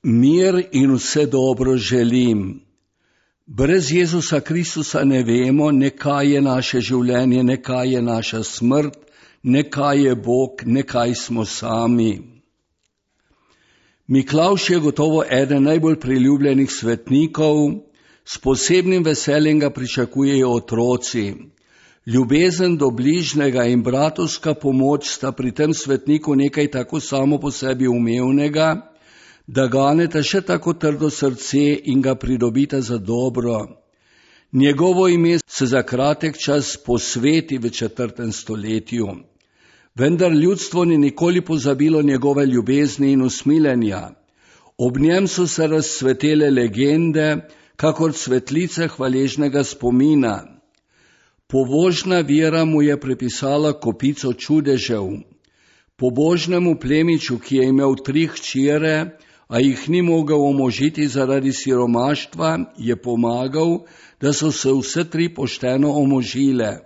Mir in vse dobro želim. Brez Jezusa Kristusa ne vemo, ne kaj je naše življenje, ne kaj je naša smrt, ne kaj je Bog, ne kaj smo sami. Miklavž je gotovo eden najbolj priljubljenih svetnikov, s posebnim veseljem ga pričakujejo otroci. Ljubezen do bližnjega in bratovska pomoč sta pri tem svetniku nekaj tako samo po sebi umevnega, da ganeta še tako trdo srce in ga pridobita za dobro. Njegovo ime se za kratek čas posveti v 4. stoletju. Vendar ljudstvo ni nikoli pozabilo njegove ljubezni in usmiljenja. Ob njem so se razcvetele legende, kakor cvetlice hvaležnega spomina. Pobožna vera mu je prepisala kopico čudežev. Pobožnemu plemiču, ki je imel 3 hčere, a jih ni mogel omožiti zaradi siromaštva, je pomagal, da so se vse 3 pošteno omožile.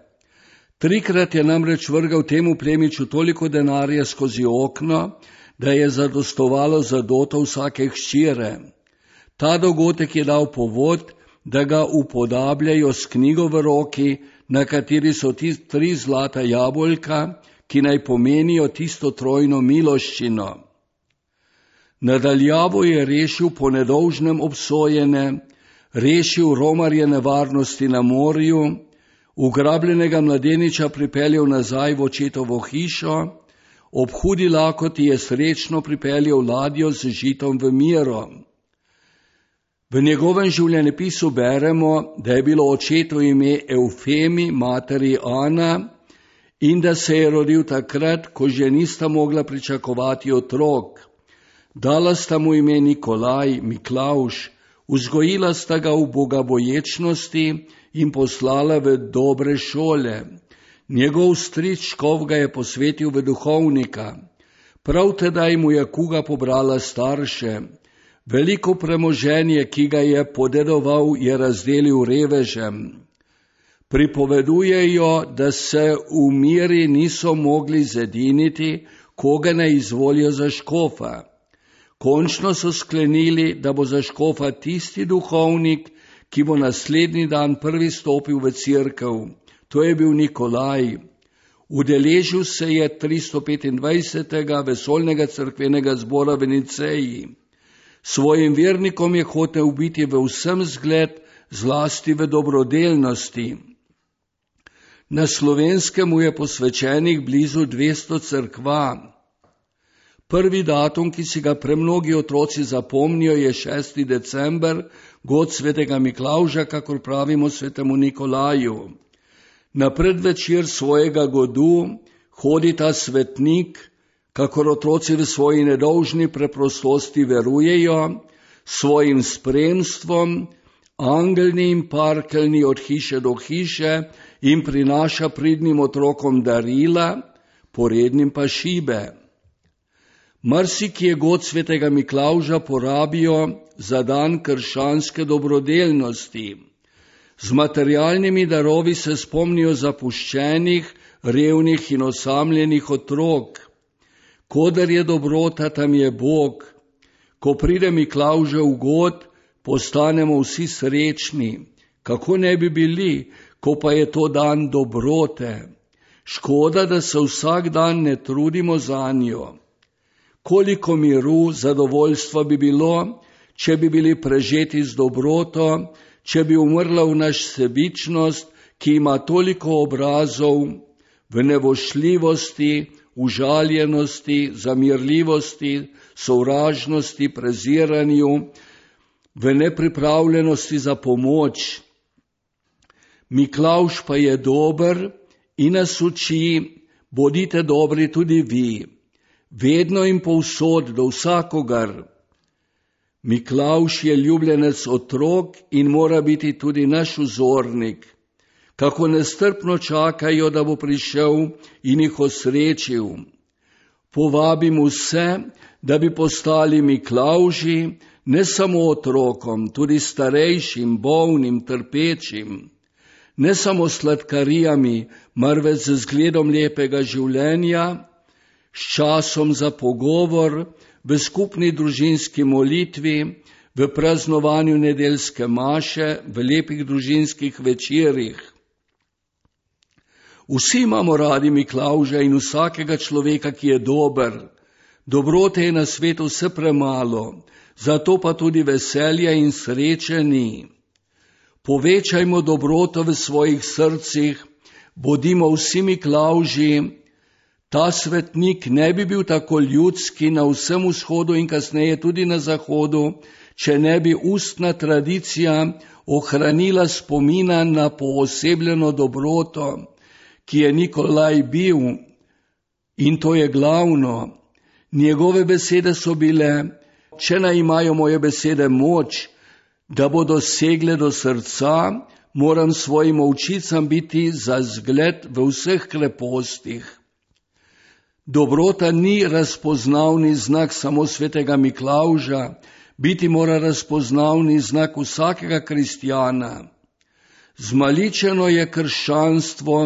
3-krat je namreč vrgal temu plemiču toliko denarja skozi okno, da je zadostovalo za doto vsake hčere. Ta dogodek je dal povod, da ga upodabljajo s knjigo v roki, na kateri so 3 zlata jabolka, ki naj pomenijo tisto trojno miloščino. Nadaljavo je rešil po nedolžnem obsojene, rešil romarje nevarnosti na morju, ugrabljenega mladeniča pripeljal nazaj v očetovo hišo, ob hudi lakoti je srečno pripeljal ladjo z žitom v Miro. V njegovem življenjepisu beremo, da je bilo očetu ime Eufemi, materi Ana, in da se je rodil takrat, ko že nista mogla pričakovati otrok. Dala sta mu ime Nikolaj, Miklavž, vzgojila sta ga v bogaboječnosti in poslala v dobre šole. Njegov stric škof ga je posvetil v duhovnika. Prav tedaj mu je kuga pobrala starše. Veliko premoženje, ki ga je podedoval, je razdelil revežem. Pripovedujejo, da se v Miri niso mogli zediniti, koga ne izvolijo za škofa. Končno so sklenili, da bo za škofa tisti duhovnik, ki bo naslednji dan prvi stopil v cerkev. To je bil Nikolaj. Udeležil se je 325. vesoljnega cerkvenega zbora v Niceji. Svojim vernikom je hotel biti v vsem zgled, zlasti v dobrodelnosti. Na Slovenskem mu je posvečenih blizu 200 cerkva. Prvi datum, ki si ga premnogi otroci zapomnijo, je 6. december, god svetega Miklavža, kakor pravimo svetemu Nikolaju. Na predvečer svojega godu hodi ta svetnik, kakor otroci v svoji nedolžni preprostosti verujejo, svojim spremstvom, angelni in parkeljni od hiše do hiše in prinaša pridnim otrokom darila, porednim pa šibe. Marsikje god svetega Miklavža porabijo za dan krščanske dobrodelnosti. Z materialnimi darovi se spomnijo zapuščenih, revnih in osamljenih otrok. Koder je dobrota, tam je Bog. Ko pride Miklavžev god, postanemo vsi srečni. Kako ne bi bili, ko pa je to dan dobrote? Škoda, da se vsak dan ne trudimo zanjo. Koliko miru, zadovoljstva bi bilo, če bi bili prežeti z dobroto, če bi umrla v naš sebičnost, ki ima toliko obrazov, v nevošljivosti, užaljenosti, zamirljivosti, sovražnosti, preziranju, v nepripravljenosti za pomoč. Miklavž pa je dober in nas uči, bodite dobri tudi vi. Vedno in povsod do vsakogar. Miklavž je ljubljenec otrok in mora biti tudi naš vzornik. Kako nestrpno čakajo, da bo prišel in jih osrečil. Povabim vse, da bi postali Miklavži, ne samo otrokom, tudi starejšim, bolnim, trpečim. Ne samo sladkarijami, marveč z zgledom lepega življenja, s časom za pogovor, v skupni družinski molitvi, v praznovanju nedeljske maše, v lepih družinskih večerih. Vsi imamo radi Miklavža in vsakega človeka, ki je dober. Dobrote je na svetu vse premalo, zato pa tudi veselja in sreče ni. Povečajmo dobroto v svojih srcih, bodimo vsi Miklavži. Ta svetnik ne bi bil tako ljudski na vsem vzhodu in kasneje tudi na zahodu, če ne bi ustna tradicija ohranila spomina na poosebljeno dobroto, ki je Nikolaj bil, in to je glavno. Njegove besede so bile: če naj imajo moje besede moč, da bodo segle do srca, moram svojim ovčicam biti za zgled v vseh krepostih. Dobrota ni razpoznavni znak samo svetega Miklavža, biti mora razpoznavni znak vsakega kristjana. Zmaličeno je krščanstvo,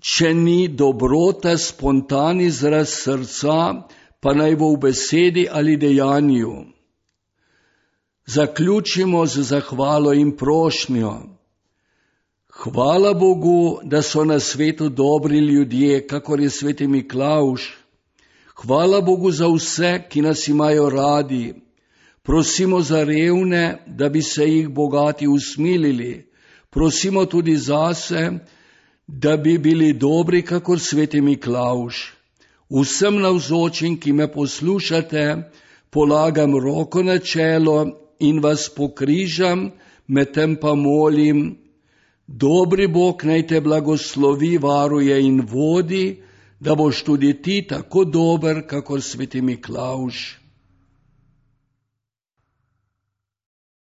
če ni dobrota spontan izraz srca, pa naj bo v besedi ali dejanju. Zaključimo z zahvalo in prošnjo. Hvala Bogu, da so na svetu dobri ljudje, kakor je sveti Miklavž. Hvala Bogu za vse, ki nas imajo radi. Prosimo za revne, da bi se jih bogati usmilili. Prosimo tudi zase, da bi bili dobri, kakor sveti Miklavž. Vsem navzočim, ki me poslušate, polagam roko na čelo in vas pokrižam, medtem pa molim: dobri Bog naj te blagoslovi, varuje in vodi, da boš tudi ti tako dober, kakor sveti Miklavž.